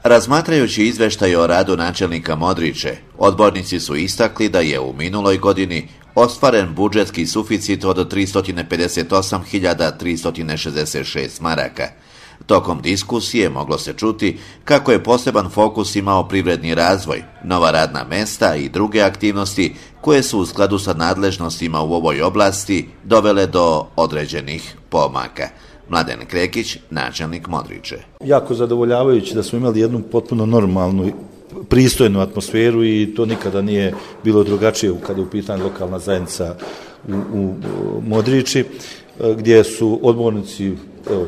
Razmatrajući izveštaj o radu načelnika Modriče, odbornici su istakli da je u minuloj godini ostvaren budžetski suficit od 358.366 maraka. Tokom diskusije moglo se čuti kako je poseban fokus imao privredni razvoj, nova radna mesta i druge aktivnosti koje su u skladu sa nadležnostima u ovoj oblasti dovele do određenih pomaka. Mladen Krekić, načelnik Modriče. Jako zadovoljavajući da smo imali jednu potpuno normalnu, pristojnu atmosferu i to nikada nije bilo drugačije kada je u pitanju lokalna zajednica u Modriči, gdje su odbornici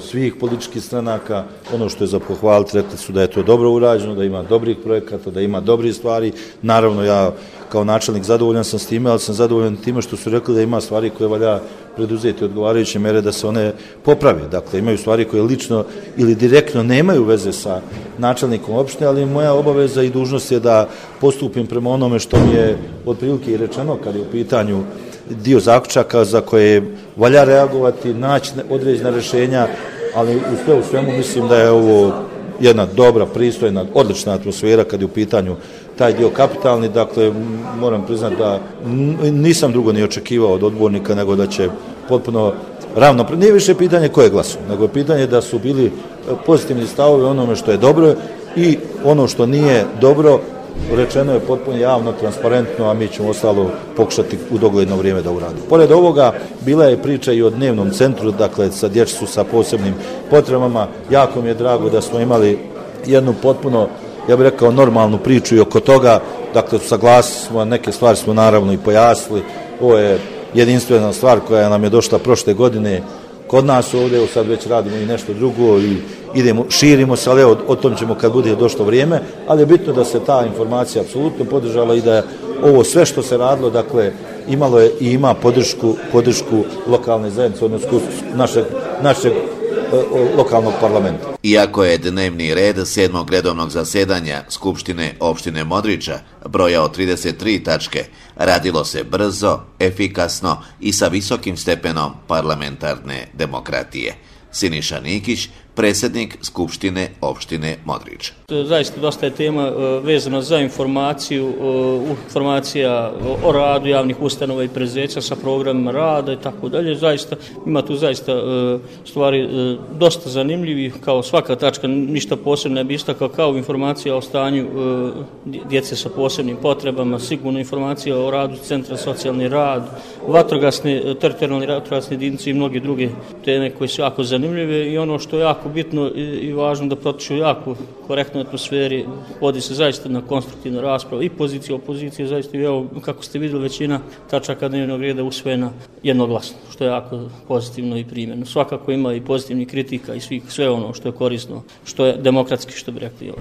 svih političkih stranaka, ono što je za pohvaliti, rekli su da je to dobro urađeno, da ima dobrih projekata, da ima dobrih stvari. Naravno, ja kao načelnik zadovoljan sam s time, ali sam zadovoljan time što su rekli da ima stvari koje valja preduzeti odgovarajuće mere da se one poprave. Dakle, imaju stvari koje lično ili direktno nemaju veze sa načelnikom opštine, ali moja obaveza i dužnost je da postupim prema onome što mi je otprilike i rečeno kad je u pitanju dio zaključaka za koje valja reagovati, naći određena rješenja, ali u svemu mislim da je ovo jedna dobra, pristojna, odlična atmosfera kad je u pitanju taj dio kapitalni. Dakle, moram priznati da nisam drugo ni očekivao od odbornika nego da će potpuno ravnopravno, nije više pitanje koje glasu, nego je pitanje da su bili pozitivni stavovi onome što je dobro i ono što nije dobro rečeno je potpuno javno, transparentno, a mi ćemo ostalo pokušati u dogledno vrijeme da uradimo. Pored ovoga, bila je priča i o dnevnom centru, dakle, sa djecu sa posebnim potrebama. Jako mi je drago da smo imali jednu potpuno, ja bih rekao, normalnu priču i oko toga. Dakle, saglasili smo, neke stvari smo naravno i pojasnili. Ovo je jedinstvena stvar koja nam je došla prošle godine kod nas ovdje, sad već radimo i nešto drugo i idemo, širimo se, ali o tom ćemo kad bude došlo vrijeme, ali je bitno da se ta informacija apsolutno podržala i da ovo sve što se radilo, dakle, imalo je i ima podršku lokalne zajednice, odnosno našeg lokalnog parlamenta. Iako je dnevni red 7. redovnog zasjedanja Skupštine opštine Modriča brojao 33 tačke, radilo se brzo, efikasno i sa visokim stepenom parlamentarne demokratije. Siniša Nikić, predsjednik Skupštine opštine Modrič. Zaista dosta je tema vezana za informacija o radu javnih ustanova i preduzeća sa programima rada i tako dalje. Zaista ima tu zaista stvari dosta zanimljivih, kao svaka tačka, ništa posebno ne bi istakao, kao informacija o stanju djece sa posebnim potrebama, sigurno informacija o radu centra socijalni rad, teritorijalne vatrogasne jedinice i mnoge druge teme koje su jako zanimljive i ono što je jako bitno i važno da protiču jako korektnoj atmosferi, vodi se zaista na konstruktivnu raspravu i pozicija, opozicija, zaista i evo, kako ste vidjeli, većina tačaka dnevnog reda usvojena jednoglasno, što je jako pozitivno i primjerno. Svakako ima i pozitivnih kritika i sve ono što je korisno, što je demokratski, što bi rekli.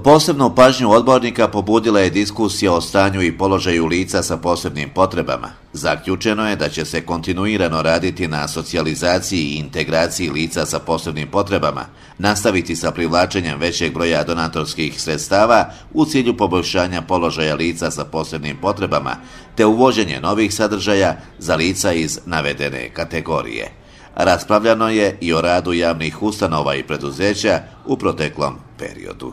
Posebnu pažnju odbornika pobudila je diskusija o stanju i položaju lica sa posebnim potrebama. Zaključeno je da će se kontinuirano raditi na socijalizaciji i integraciji lica sa posebnim potrebama, nastaviti sa privlačenjem većeg broja donatorskih sredstava u cilju poboljšanja položaja lica sa posebnim potrebama, te uvođenje novih sadržaja za lica iz navedene kategorije. Raspravljano je i o radu javnih ustanova i preduzeća u proteklom periodu.